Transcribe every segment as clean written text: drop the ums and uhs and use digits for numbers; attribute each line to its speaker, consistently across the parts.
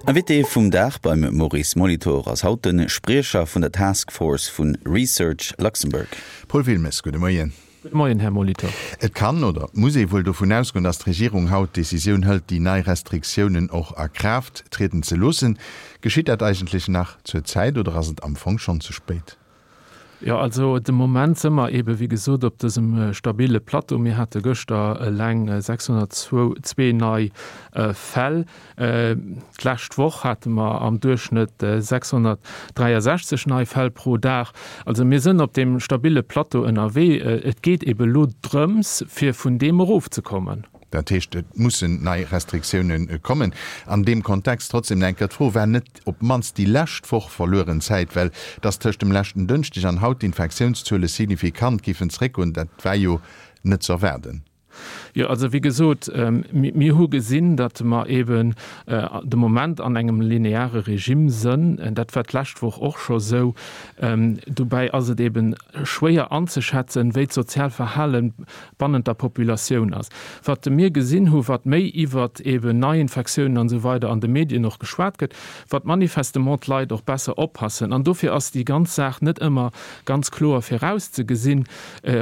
Speaker 1: Invité vum Dag beim Maurice Molitor ass haut de Spriecher vun der Task Force vu Research Luxembourg.
Speaker 2: Paul Wilmes, gudde Moien.
Speaker 3: Gudde Moien, Här Molitor.
Speaker 2: Et kann oder et muss ee wuel dovun ausgoen, datt d'Regierung haut d'Decisioun hëlt, déi nei Restriktiounen och a Kraaft trieden ze loossen. Geschitt dat eigentlech nach zur Zäit oder ass et am Fong schonn ze spéit?
Speaker 3: Jo, also de Moment si mer eebe wéi gesot op dësem stabile Plateau. Mir hate gëschter eleng 602 nei Fäll. D'lescht Woch hate mer am Duerchschnëtt 663 nei Fäll pro Dag. Also mir sënn op deem stabile Plateau ënnerwee. Et geet eebe elo drëms, fir vun deem erofzekommen.
Speaker 2: Dat heescht, et mussen nei Restriktioune kommen. An deem Kontext trotzdem nach eng Kéier d'Fro, War net op d'mannst déi lescht Woch verlueren Zäit? Well dass tëscht dem leschten Dënschdeg an haut d'Infektiounszuele signifikant géifen zeréckgoen, dat war jo net ze erwaarden.
Speaker 3: Jo, also wéi gesot, mir hu gesinn, datt mer eeben de Moment an engem lineare Regime sënn. Dat war d'lescht Woch och scho sou. Dobäi ass et eebe schwéier anzeschätzen, wéi d'Sozialverhale bannent der Populatioun ass. Wat mir gesinn hu wat méi iwwert eben Neiinfektiounen an esou weider an de Medien och geschwat gëtt, wat manifestement d'Leit och besser oppassen. An dofir ass déi ganz Saach net ëmmer ganz kloer virauszegesinn,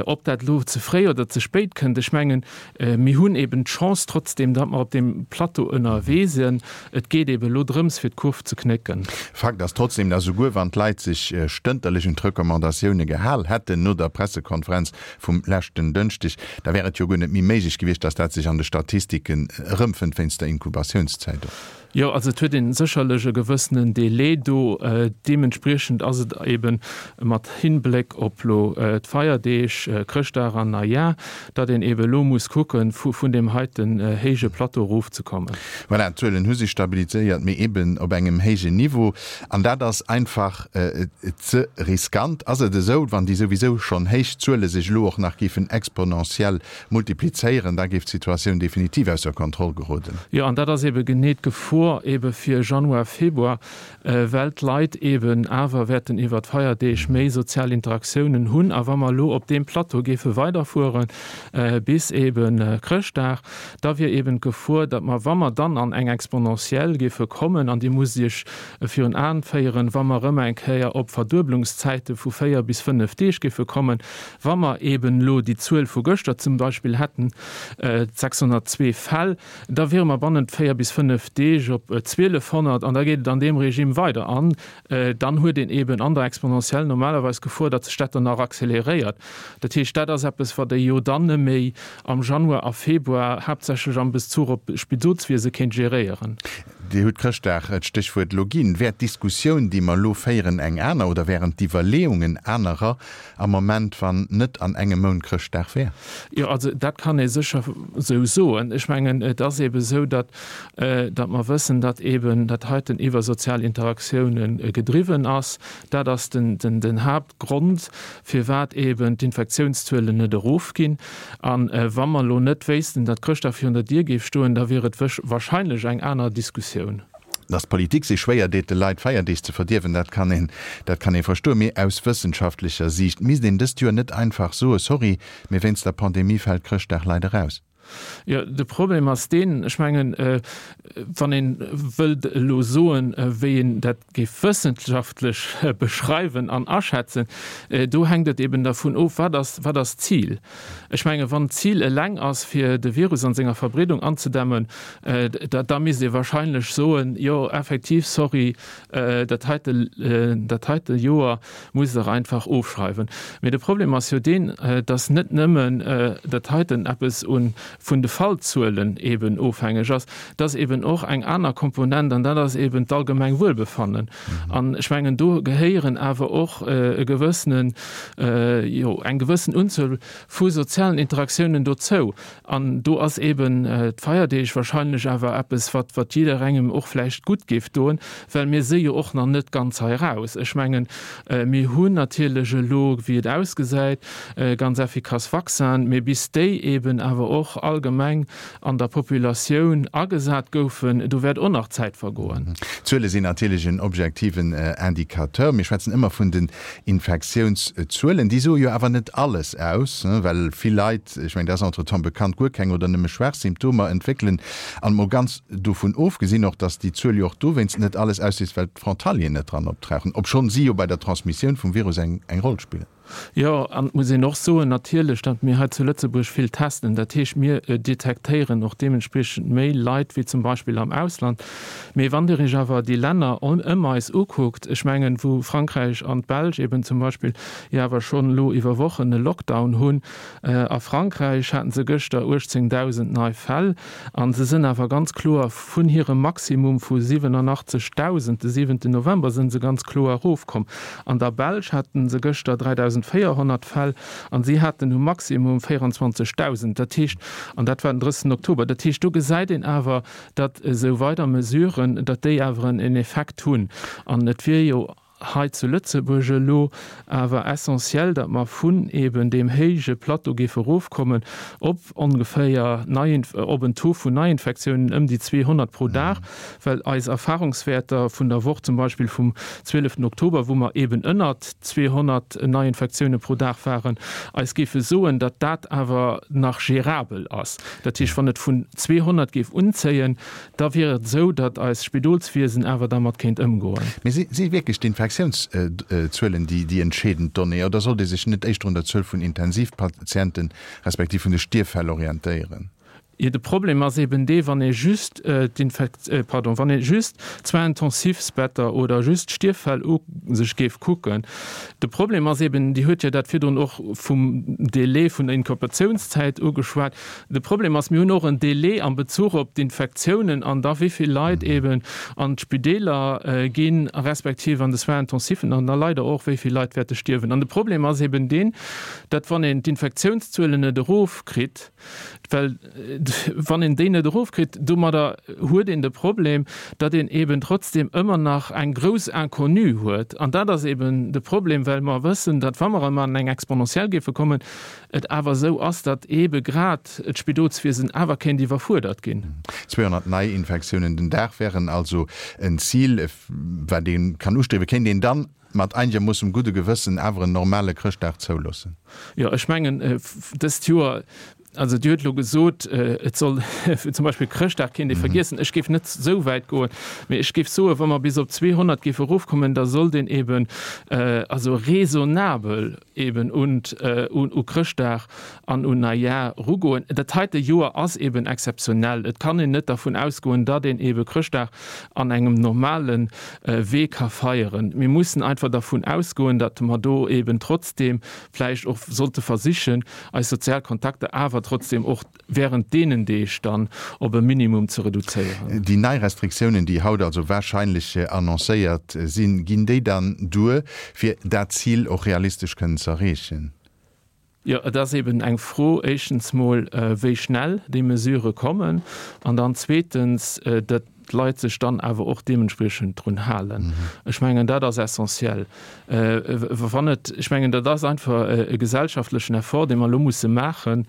Speaker 3: ob dat elo ze fréi oder ze spéit kënnt. Ech mengen, mir hunn eben d'Chance trotzdeem, datt mer op deem Plateau ënnerwee sinn. Et geet eben elo drëms, fir d'Kurv ze knécken.
Speaker 2: Fakt ass trotzdem, datt esouguer wann d'Leit sech stënterlech un d'Recommandatioune gehal hätten no der Pressekonferenz vum leschten Dënschdeg, da wär et jo guer net méi méiglech gewiescht, dass dat sech an de Statistiken erëmfënnt, wéinst der Inkubatiounszäit och.
Speaker 3: Jo, also et huet ee sécherlech e gewëssenen Délai do. Deementspriechend ass et eebe mat Hinbléck op elo d'Feierdeeg, Chrëschtdag an Neijar, datt een eebe elo muss kucken, vun deem heiten héije Plateau erofzekommen.
Speaker 2: Voilà, d'Zuelen hu sech stabiliséiert, mee eeben op engem héijen Niveau. An dat ass einfach ze riskant. Ass et esou, wann déi souwisou schonn héich Zuele sech elo och nach géifen exponentiell multiplizéieren, da géif d'Situatioun definitiv ausser Kontroll geroden.
Speaker 3: Jo, an dat ass eebe genee d'Gefor eebe fir Januar, Februar, well d'Leit eeben awer wäerten iwwer d'Feierdeeg méi sozial Interaktiounen hunn. A wa mer elo op deem Plateau géife weiderfuere bis eebe Chrëschtdag, da wier eeben d'Gefor, datt mer, wa mer dann an eng Exponentielle géife kommen, an Dir musst Iech virun Aen féieren, wa mer erëm eng Kéier op Verdueblungszäite vu 4 bis 5 Deeg géife kommen, wa mer eeben elo déi Zuel vu gëschter zum Beispill hätten, 602 Fäll, da wiere mer bannent 4 bis 5 Deeg op 1.200 an da geet et an deem Regime weider. An dann huet een eeben an der Exponentielle normalerweis d'Gefor, datt sech dat dann nach acceleréiert. Dat heescht, dat ass eppes, wat ee jo dann neméi am Januar a Februar haaptsächlech am Bezuch op d'Spidolswiese kéint geréieren.
Speaker 2: Dir hutt Chrëschtdag d'Stéchwuert elo ginn. Wär d'Diskussioun, déi mer elo féieren, eng aner oder wären d'Iwwerleeungen anerer am Moment, wann net an engem Mount Chrëschtdag wär?
Speaker 3: Jo, also dat kann ee sécher esou soen. Ech mengen, et ass eebe esou, datt, datt mer wëssen, datt eeben dat heiten iwwer sozial Interaktiounen gedriwwen ass. Dat ass den, den, den Haaptgrond, firwat eeben d'Infektiounszuelen net erofginn. A wa mer elo net wéissten, datt Chrëschtdag virun der Dier géif stoen, da wier et wahrscheinlech eng aner Diskussioun.
Speaker 2: Datt d'Politik sech schwéier deet, de Leit d'Feierdeeg ze verdierwen, dat kann een, dat kann ee verstoen. Mee aus wëssenschaftlecher Siicht misst een dëst Joer net einfach soen, Sorry, mee wéinst der Pandemie fält Chrëschtdag leider aus.
Speaker 3: Jo, de Problem ass deen, ech mengen, wann ee wëllt elo soen, wéi een dat géif wëssenschaftlech beschreiwen an aschätzen, do hänkt et eben dervun of, wat ass, wat ass d'Zil? Ech mengen, wann d'Zil eleng ass, fir de Virus an senger Verbreedung anzedämmen, da, da misst ee wahrscheinlech soen, jo effektiv, sorry, dat heite, dat heite Joer musst Der einfach ofschreiwen. Mee de Problem ass jo deen, dass net nëmmen dat heiten eppes un vun de Fallzuelen eben ofhängeg ass, dass eben och eng aner Komponent, an dat ass eben d'allgemeng Wuelbefannen. An ech mengen, do gehéieren awer och e gewëssenen, jo, eng gewëssen Unzuel vu sozialen Interaktiounen dozou. An do ass eben d'Feierdeeg wahrscheinlech awer eppes, wat, wat jidderengem och vläicht gutt géif doen, well mir si jo och nach net ganz hei raus. Ech mengen, mir hunn natierlech elo, wéi et ausgesäit, ganz effikass Vaccinen, mee bis déi eben awer och. allgemeng an der Populatioun agesat goufen, do wäert och nach Zäit vergoen.
Speaker 2: D'Zuele sinn natierlech en objektiven Indicateur. Mir schwätzen ëmmer vun den Infektiounszuelen. Déi soe jo awer net alles aus, well vill Leit, ech mengen, dat ass entretemps bekannt, guer keng oder nëmme schwaach Symptomer entwéckelen. An mol ganz dovun ofgesinn och, datt déi Zuel jo och dowéinst net alles ausseet, well d'Frontalieren net dran optrauchen, obschonn si jo bei der Transmissioun vum Virus eng Roll spillen.
Speaker 3: Jo, an et muss een och soen natierlech, datt mir hei zu Lëtzebuerg vill testen. Dat heescht, mir detektéieren och deementspriechend méi Leit wéi zum Beispill am Ausland. Mee wann Dir Iech awer déi Länner ëm eis ukuckt, ech mengen, wou Frankräich an d'Belsch eben zum Beispill jo awer schonn elo iwwer Wochen e Lockdown hunn, a Frankräich haten se gëschter 18.000 nei Fäll, a se sënn awer ganz kloer vun hirem Maximum vu 87.000 de siwenten November sënn se ganz kloer erofkomm. An der Belsch haten se gëschter 3.400 Fäll an si haten um Maximum 24.000. Dat heescht, an dat war den 30 Oktober, dat heescht do gesäit een awer, datt esou weider Mesuren, datt déi awer en Effekt hunn. An et wier jo hei zu Lëtzebuerg elo awer essentiell, datt mer vun eben deem héije Plateau géife erofkommen op ongeféier op en Taux vun Neiinfektiounen ëm déi 200 pro Dag, well eis Erfahrungswäerter vun der Woch zum Beispill vum 12 Oktober, wou mer eben ënnert 200 Neiinfektioune pro Dag waren, eis géife soen, datt dat awer nach gérabel ass. Dat heescht, wann et vun 200 géif unzéien, da wier et esou, datt eist Spidolswiesen awer dermat kéint ëmgoen.
Speaker 2: Mee si wierklech d'Infektiounszuelen déi entscheedend Donnée oder sollt ee sech net éischter un der Zuel vun Intensivpatienten respektiv vun de Stierffäll orientéieren?
Speaker 3: Jo, de Problem ass eben dee, wann ee just d'Infekt-, pardon, wann ee just d'Soins-intensifs-Better oder just d'Stierffäll u sech géif kucken. De Problem ass eben, Dir huet jo dat virdrun och vum Délai vun der Inkubatiounszäit ugeschwat, De Problem ass, mir hunn och en Délai am Bezuch op d'Infektiounen an da wéi vill Leit eben an d'Spideeler ginn, respektiv an de Soins-intensifen an da leider och wéi vill Leit wäerte stierwen. An de Problem ass eben deen, datt wann een d'Infektiounszuelen net erofkritt, well wann een déi net erofkritt, domadder huet een de Problem, datt een eben trotzdem ëmmer nach eng grouss Inconnue huet. An dat ass eben de Problem, well mer wëssen, datt wa mer erëm an eng Exponentielle géife kommen, et awer esou ass, datt eebe grad d'Spidolswiesen awer kéint iwwerfuerdert ginn.
Speaker 2: 200 Neiinfektiounen den Dag wären also en Zil, wat ee kann ustriewen. Kéint een dann mat einegermoossem gudde Gewëssen awer en normale Chrëschtdag zouloossen?
Speaker 3: Jo, ech mengen, dëst Joer, also Dir hutt elo gesot, et soll zum Beispill Chrëschtdag kéint ee vergiessen. Ech géif net esou wäit goen, mee ech géif soen, wa mer bis op 200 géife erofkommen, da sollt een eeben also raisonnabel eben un u Chrëschtdag an un Neijar erugoen. Dat heite Joer ass eben exzeptionell. Et kann een net dervun ausgoen, datt een ebe Chrëschtdag an engem normale Wee ka feieren. Mir mussen einfach dervun ausgoen, datt mer do eben trotzdem vläicht och sollte versichen, eis sozial Kontakter awer trotzdem och während deenen Deeg dann op e Minimum ze reduzéieren.
Speaker 2: Déi nei Restriktiounen, déi haut also wahrscheinlech annoncéiert sinn, ginn déi dann duer, fir dat Zil och realistesch kënnen ze erreechen?
Speaker 3: Jo, et ass eben eng Fro, éischtens mol, wéi schnell déi Mesurë kommen, an dann zweetens, datt d'Leit sech dann awer och deementspriechend drun halen. Ech mengen, dat ass essentiell. Wann et, ech mengen, dat ass einfach e gesellschaftlechen Effort, dee mer elo musse maache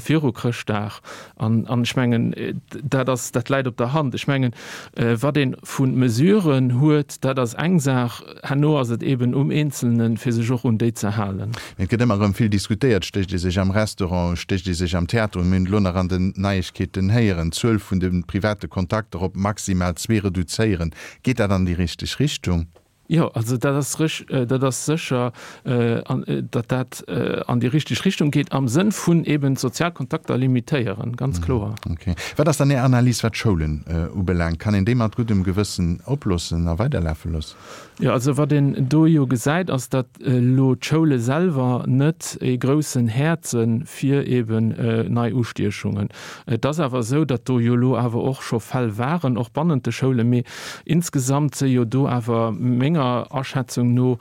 Speaker 3: viru Chrëschtdag. An, an ech mengen, dat ass, dat läit op der Hand. Ech mengen, wat ee vu Mesuren huet, dat ass eng Saach. Herno ass et eeben um Eenzelnen, fir sech och un déi ze halen.
Speaker 2: Et gëtt ëmmer erëm vill diskutéiert, Stécht ee sech am Restaurant, stécht ee sech am Theater un? Mir hunn et elo nach an den Neiegkeeten héieren, d'Zuel vun de private Kontakter op maximal zwee reduzéieren. Geet dat an déi richteg Richtung?
Speaker 3: Jo, also dat ass rich, dat ass sécher, datt dat an déi richteg Richtung geet am Sënn vun eben d'sozial Kontakter limitéieren, ganz kloer.
Speaker 2: Okay. Wat ass dann Är Analys, wat d'Schoulen ubelaangt? Kann een déi mat guddem Gewëssen oploossen a weiderlafe loossen?
Speaker 3: Jo, also wat een do jo gesäit, ass, datt elo d'Schoule selwer net ee groussen Häerd se fir eben nei Ustiechungen. Et ass awer esou, datt do jo elo awer och scho Fäll waren, och bannent de Schoulen, mee insgesamt si jo do awer menger. menger Aschätzung no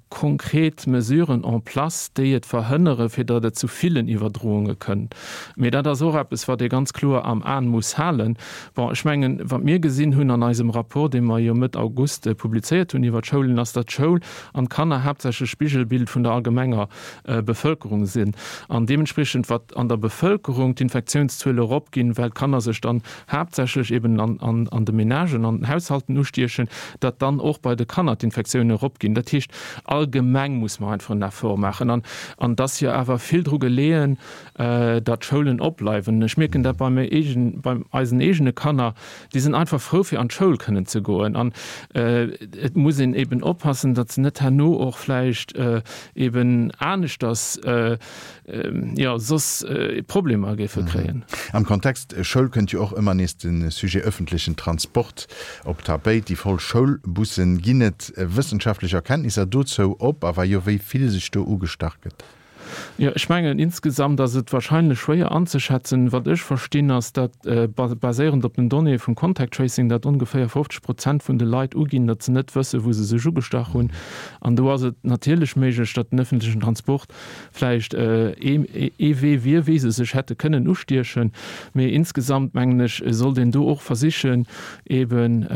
Speaker 3: konkret Mesuren en place, déi et verhënnere fir datt et zu villen Iwwerdrounge kënnt. Mee dat ass och eppes, wat ee ganz kloer am Aen muss halen. Bon, ech mengen, wat mir gesinn hunn an eisem Rapport, dee mer jo Mëtt August publizéiert hunn iwwer d'Schoulen, ass, datt d'Schoul an d'Kanner haaptsächlech Spigelbild vun der allgemenger Bevëlkerung sinn an deementspriechend, wat an der Bevëlkerung d'Infektiounszuele eropginn, well d'Kanner sech dann haaptsächlech eben an de Menagen, an den Haushalten ustiechen, datt dann och bei de Kanner d'Infektiounen eropginn. Dat heescht, allgemeng muss mer einfach en Effort maachen an an et ass jo awer vill dru geleeën, datt d'Schoulen opbleiwen. Ech mierken dat bei bei eisen eegene Kanner, déi sinn einfach frou fir an d'Schoul kënnen ze goen an et muss een eben oppassen, datt se net herno och vläicht eben aneschters jo soss Problemer géife kréien.
Speaker 2: Am Kontext Schoul kënnt jo och ëmmer nees de Sujet ëffentlechen Transport op d'Tapéit, déi voll Schoulbussen. Ginn et wëssenschaftlech Erkenntnisser dozou op a wa jo, wéi vill sech do ugestach gëtt?
Speaker 3: Jo, ech mengen, insgesamt ass et wahrscheinlech schwéier anzeschätzen. Wat ech verstinn, ass, datt, baséierend op den Donnéeë vum Contact Tracing, datt ongeféier 50 Prozent vun de Leit uginn, datt se net wëssen, wou se sech ugestach hunn. An do ass et natierlech méiglech, datt den ëffentlechen Transport vläicht ee Wee wier, wéi se sech hätte kënnen ustiechen. Mee insgesamt, mengen ech, sollt een do och versichen, eeben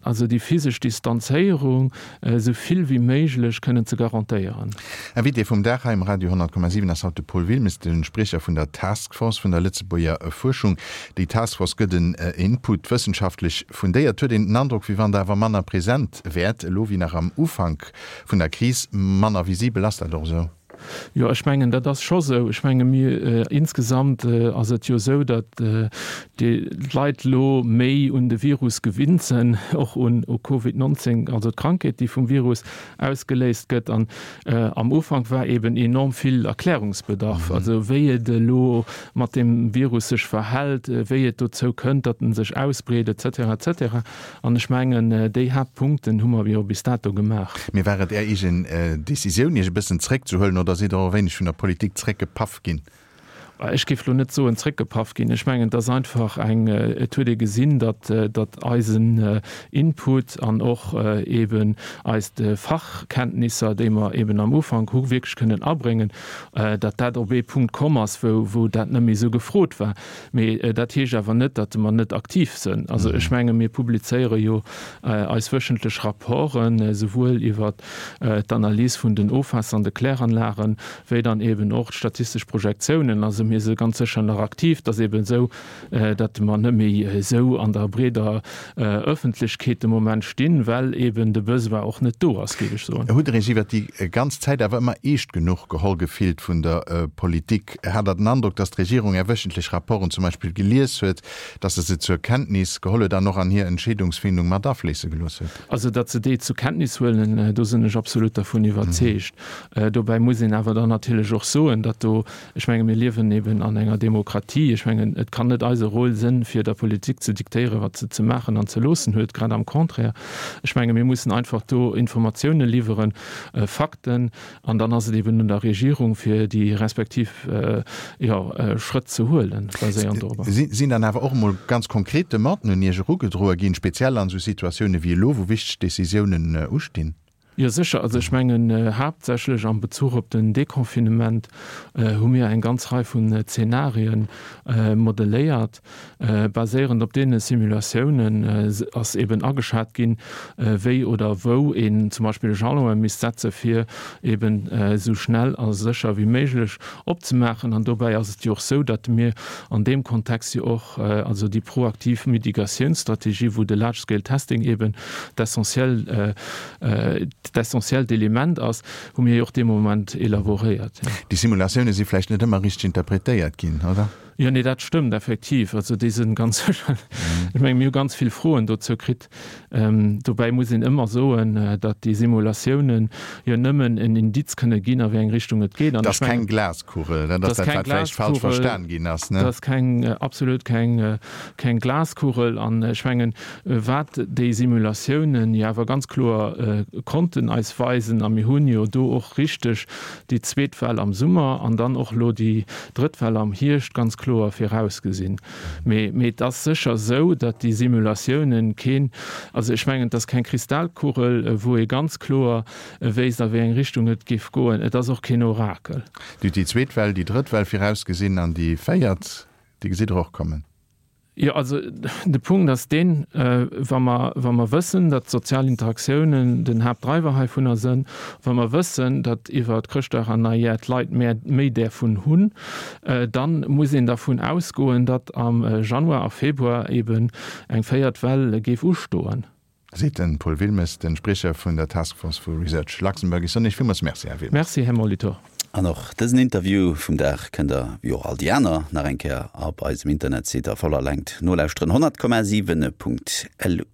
Speaker 3: also déi physesch Distanzéierung esou vill wéi méiglech kënnen ze garantéieren.
Speaker 2: Invité vum Dag hei um Radio 100,7 ass haut de Paul Wilmes, de Spriecher vun der Task Force vun der Lëtzebuerger Fuerschung. Déi Task Force gëtt en Input, wëssenschaftlech fundéiert. Huet een den Androck, wéi wann Der awer manner present wäert elo wéi nach am Ufank vun der Kris, manner visibel. Ass dat och esou?
Speaker 3: Jo, ech mengen, dat ass scho sou. Ech menge mir insgesamt ass et jo esou, datt d'Leit elo méi un de Virus gewinnt sinn, och un Covid 19, also d'Krankheet, déi vum Virus ausgeléist gëtt. An am Ufank war eeben enorm vill Erklärungsbedarf, also wéi et elo mat deem Virus sech verhält, wéi et dozou kënnt, datt en sech ausbreet, et cetera, et cetera. An ech mengen, déi Haaptpunkten hu mer jo bis dato gemaach.
Speaker 2: Mee war et Är eegen Decisioun, Iech e bëssen zréckzehuelen, oder sidd Der och e wéineg vun der Politik zréckgepaff ginn?
Speaker 3: Ech géif elo net soen zréckgepaff ginn. Ech mengen, et ass einfach eng, et huet ee gesinn, datt, datt eisen Input an och eeben eis Fachkenntnisser, déi mer eeben am Ufank hu wierklech kënnen abréngen, datt dat op ee Punkt komm ass, wou, wou dat net méi esou gefrot war. Mee dat heescht awer net, datt mer net aktiv sënn. Also ech menge mir publizéiere jo eis wöchentlech Rapporten, esouwuel iwwer d'Analys vun den Ofwaasser an de Kläranlagen, wéi dann eeben och d'statistesch Projektiounen. Also mir si ganz sécher nach aktiv. Et ass eeben esou, datt mer net méi esou an der breeder Ëffentlechkeet de Moment stinn, well eeben de Besoin och net do ass, géif ech soen.
Speaker 2: Hutt Der Iech iwwert déi ganz Zäit awer ëmmer eescht genuch geholl gefillt vun der Politik? Hat Der den Androck, datt d'Regierung Är wéchentlech Rapporten zum Beispill gelies huet, datt se se zur Kenntnis geholl huet an och an hir Entscheedungsfindung mat afléisse gelooss huet?
Speaker 3: Also, datt se déi zur Kenntnis huelen, do sinn ech absolut dervun iwwerzeegt. Dobäi muss een awer dann natierlech och soen, datt do Ech menge mir liewen eben an enger Demokratie. Ech mengen, et kann net eise Rôle sënn, fir der Politik ze diktéieren, wat se ze maachen an ze loossen huet, grad am Contraire. Ech menge mir mussen einfach do Informatiounen liwweren, Fakten, an dann ass et eben un der Regierung, fir déi respektiv, jo, Schrëtt ze huelen, baséiernd
Speaker 2: dorobber. Sinn dann awer och emol ganz konkret Demanden un Iech erugedroe ginn, speziell an esou Situatioune wéi elo, wou wichteg Decisiounen ustinn?
Speaker 3: Jo sécher, also ech mengen haaptsächlech am Bezuch op den Deconfinement hu mir eng ganz Rei vun Zenarien modelléiert. Baséierend op deene Simulatiounen ass eben ageschat ginn, wéi oder wou een zum Beispill e Jalon misst setze fir eben esou schnell a sécher wéi méiglech opzemaachen. An dobäi ass et jo och esou, datt mir an deem Kontext jo och also déi proaktiv Mitigatiounsstrategie, wou de Large Scale Testing eben d'essentiell, d'essentiellt Element ass, hu mir jo och dee Moment elaboréiert.
Speaker 2: Déi Simulatioune si vläicht net ëmmer richteg interpretéiert ginn, oder?
Speaker 3: Jo, nee, dat stëmmt effektiv. Also déi sinn ganz sécher, ech menge mir hu ganz vill Froen dozou kritt. Dobäi muss een ëmmer soen, datt déi Simulatiounen jo nëmmen en Indiz kënne ginn, a wéi eng Richtung et geet.
Speaker 2: An ech mengen. Dat ass keng Glaskugel, dat ass dat, wat vläicht falsch verstan ginn ass,
Speaker 3: ne? Dat ass keng, absolut keng, keng Glaskugel. An ech mengen, Wat déi Simulatiounen jo awer ganz kloer konnten eis weisen, a mir hunn jo do och richteg déi zweet Well am Summer an dann och elo déi drëtt Well am Hierscht ganz kloer. kloer virausgesinn. Mee, mee et ass sécher esou, datt déi Simulatiounen keen, also ech mengen, et ass keng Kristallkugel, wou ee ganz kloer wéisst, a wéi eng Richtung et géif goen. Et ass och keen Orakel.
Speaker 2: Dir hutt déi zweet Well, déi drëtt Well virausgesinn an déi véiert, déi gesitt Der och kommen.
Speaker 3: Jo, also de Punkt ass deen, wa mer, wa mer wëssen, datt d'sozial Interaktiounen den Haaptdreiwer heivunner sënn, wa mer wëssen, datt iwwer Chrëschtdag an Neijahr d'Leit mä méi därvun hunn, dann muss een dervun ausgoen, datt am Januar a Februar eben eng véiert Well géif ustoen.
Speaker 2: Seet de Paul Wilmes, de Spriecher vun der Task Force vu Research Luxembourg. Ech soen Iech villmools Merci, Här Wilmes.
Speaker 3: Merci, Här Molitor.
Speaker 1: An och dësen Interview vum Dag kënnt der, wéi och all déi aner, nach eng Kéier op eisem Internetsite a voller Längt nolauschteren, 100,7.lu.